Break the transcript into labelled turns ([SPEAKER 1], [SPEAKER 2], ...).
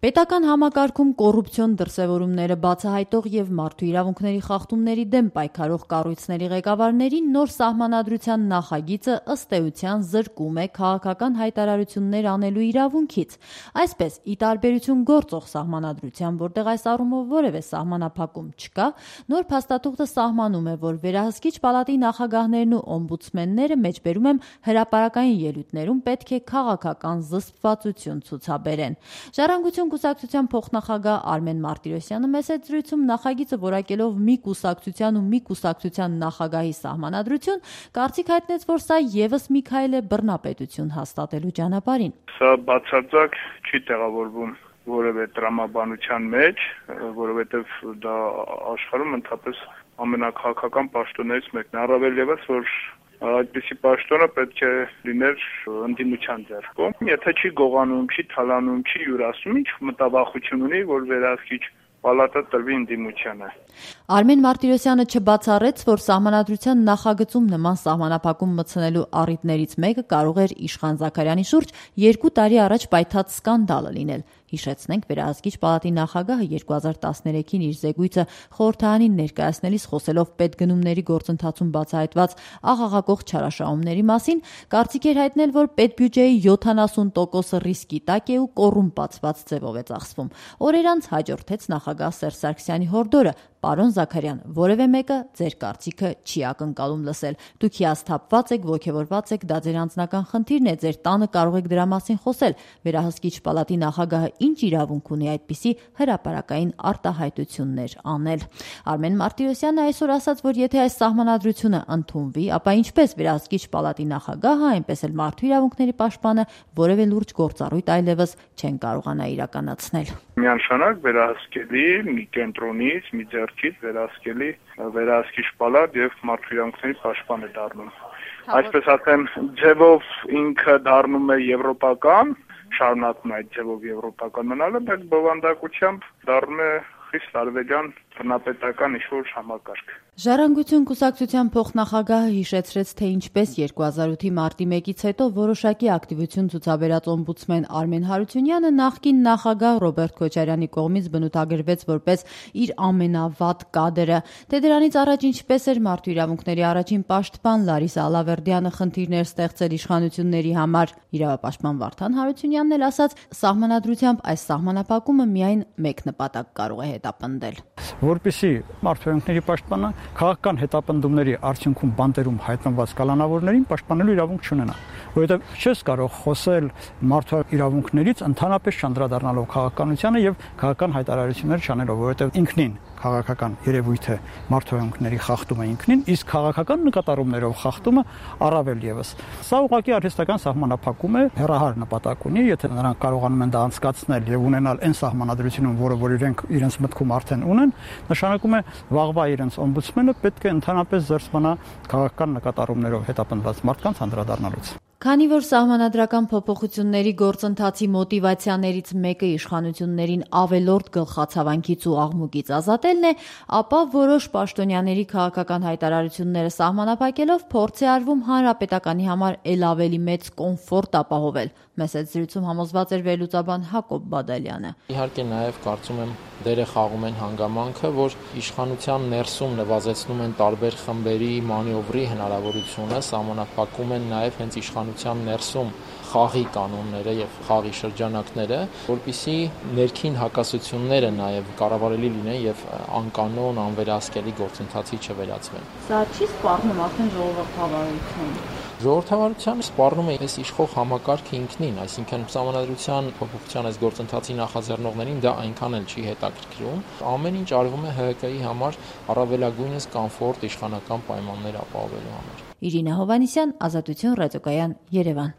[SPEAKER 1] Պետական համակարգում կոռուպցիոն դրսևորումները բացահայտող եւ մարդու իրավունքների խախտումների դեմ պայքարող կառույցների ղեկավարներին նոր սահմանադրության նախագիծը ըստ էության զրկում է քաղաքական հայտարարություններ անելու իրավունքից։ Այսպես, ի տարբերություն գործող սահմանադրության, որտեղ այս առումով որևէ սահմանափակում չկա, նոր փաստաթուղթը սահմանում է, որ վերահսկիչ պալատի նախագահներն ու օմբուդսմենները, մեջբերում եմ հրապարակային ելույթներում, պետք է քաղաքական զսպվածություն ցուցաբերեն։ Ժառանգություն կուսակցության փոխնախագահ Արմեն Մարտիրոսյանը մեծ զրույցում նախագիծը որակելով մի կուսակցության ու մի կուսակցության նախագահի սահմանադրություն, կարծիք հայտնեց, որ սա ևս մի քայլ է բռնապետություն հաստատելու ճանապարհին։
[SPEAKER 2] Սա բացարձակ չի տեղավորվում որևէ տրամաբանության մեջ, որովհետև դա աշխարհում ընդհանրապես ամենակաղաքական պաշտոններից մեկն է, առավել ևս որ այդպիսի պաշտոնը պետք է լիներ ընդդիմության ձեռքում։ Եթե չի գողանում, չի թալանում, չի յուրացնում, ինչ մտավախություն ունի, որ վերահսկիչ պալատը տրվի ընդդիմությանը։
[SPEAKER 1] Արմեն Մարտիրոսյանը չբացառեց, որ սահմանադրության նախագծում նման սահմանափակում մտցնելու առիթներից մեկը կարող էր Իշխան Զաքարյանի շուրջ 2 տարի առաջ պայթած սկանդալը լինել։ Հիշեցնենք, վերահսկիչ պալատի նախագահը 2013-ին իր զեկույցը խորհրդարանին ներկայացնելիս խոսելով պետգնումների գործընթացում բացահայտված աղաղակող չարաշահումների մասին, կարծիք էր հայտնել, որ պետբյուջեի 70% ռիսկի տակ է ու կոռումպացված ձևով է ծախսվում։ Օրեր անց հաջորդեց նախագահ Սերժ Սարգսյանի հորդորը. «Պարոն Զաքարյան, որևէ մեկը ձեր կարծիքը չի ակնկալում լսել։ Դուք հիասթափված եք, ոգևորված եք, դա ձեր անձնական խնդիրն է, ձեր տանը կարող եք դրա մասին խոսել։ Վերահսկիչ պալատի նախագահը ինչ իրավունք ունի այդպիսի հրապարակային արտահայտություններ անել»։ Արմեն Մարտիրոսյանը այսօր ասաց, որ եթե այս սահմանադրությունը ընդունվի, ապա ինչպես վերահսկիչ պալատի նախագահը, այնպես էլ մարդու իրավունքների պաշտպանը որևէ լուրջ գործառույթ այլևս չեն կարողանա իրականացնել։
[SPEAKER 2] Միանշանակ վերահսկելի մի կենտրոնից, մի ձեռքից վերահսկելի վերահսկիչ պալատ եւ մարդու իրավունքների պաշտպան է դառնում։ Այսպես ասեմ, ձևով ինքը դառնում է եվրոպական, շարունակում է այդ ձևով եվրոպական մնալը, բայց բովանդակությամբ դառնում է խիստ արևելյան բռնապետական ինչ-որ համակարգ։
[SPEAKER 1] Ժառանգություն կուսակցության փոխնախագահը հիշեցրեց, թե ինչպես 2008-ի մարտի 1-ից հետո որոշակի ակտիվություն ցուցաբերած օմբուդսմեն Արմեն Հարությունյանը նախկին նախագահ Ռոբերտ Քոչարյանի կողմից բնութագրվեց որպես իր ամենավատ կադրը, թե դրանից առաջ ինչպես էր մարդու իրավունքների առաջին պաշտպան Լարիսա Ալավերդյանը խնդիրներ ստեղծել իշխանությունների համար։ Իրավապաշտպան Վարդան Հարությունյանն էլ ասաց, սահմանադրությամբ այս սահմանափակումը միայն մեկ նպատակ կարող է հետապնդել։
[SPEAKER 3] Որպեսզի մարդու իրավունքների պաշտպանը քաղաքական հետապնդումների արդյունքում բանտերում հայտնված կալանավորներին պաշտպանելու իրավունք չունենա, որովհետև չես կարող խոսել մարդու իրավունքներից ընդհանրապես չանդրադառնալով քաղաքականությանը եւ քաղաքական հայտարարություններ չանելով, որովհետև ինքնին քաղաքական երևույթը մարդու իրավունքների խախտումը ինքնին, իսկ քաղաքական նկատառումներով խախտումը առավել եւս։ Սա ուղղակի արհեստական սահմանափակում է, հեռահար նպատակ ունի, եթե նրանք կարողանում են դա անցկացնել եւ ունենալ այն սահմանադրությունում, որ իրենք իրենց մտքում արդեն ունեն, նշանակում է վաղվա իրենց օմբուդսմենը պետք է ընդհանրապես զերծ մնա քաղաքական նկատառումներով հետապնդված մարդկանց անդրադառնալուց։
[SPEAKER 1] Քանի որ սահմանադրական փոփոխությունների գործընթացի մոտիվացիաներից մեկը իշխանություններին ավելորդ գլխացավանքից ու աղմուկից ազատելն է, ապա որոշ պաշտոնյաների քաղաքական հայտարարությունները սահմանափակելով փորձ է արվում հանրապետականի համար ել ավելի մեծ կոմֆորտ ապահովել։ Մեծ զրույցում համոզված էր վերլուծաբան Հակոբ Բադալյանը։
[SPEAKER 4] Իհարկե նաև կարծում եմ դերը խաղում են հանգամանքը, որ իշխանության ներսում նվազեցնում են տարբեր խմբերի մանևրի հնարավորությունը, սահմանափակում են նաև հենց իշխանության ներսում խաղի կանոնները եւ խաղի շրջանակները, որպիսի ներքին հակասությունները նաև կառավարելի լինեն եւ անկանոն, անվերահսկելի գործընթացի չվերածվեն։
[SPEAKER 1] Սա չի սպառնում արդեն ժողովրդավարություն։
[SPEAKER 4] Ժողովրդավարությանը սպառնում է այս իշխող համակարգը ինքնին, այսինքն սահմանադրության փոփոխության այս գործընթացի նախաձեռնողներին դա այնքան էլ չի հետաքրքրում։ Ամեն ինչ արվում է ՀՀԿ-ի համար առավելագույնս կոմֆորտ իշխանական պայմաններ ապահովելու համար։
[SPEAKER 1] Իրինա Հովհաննիսյան, Ազատություն ռադիոկայան, Երևան։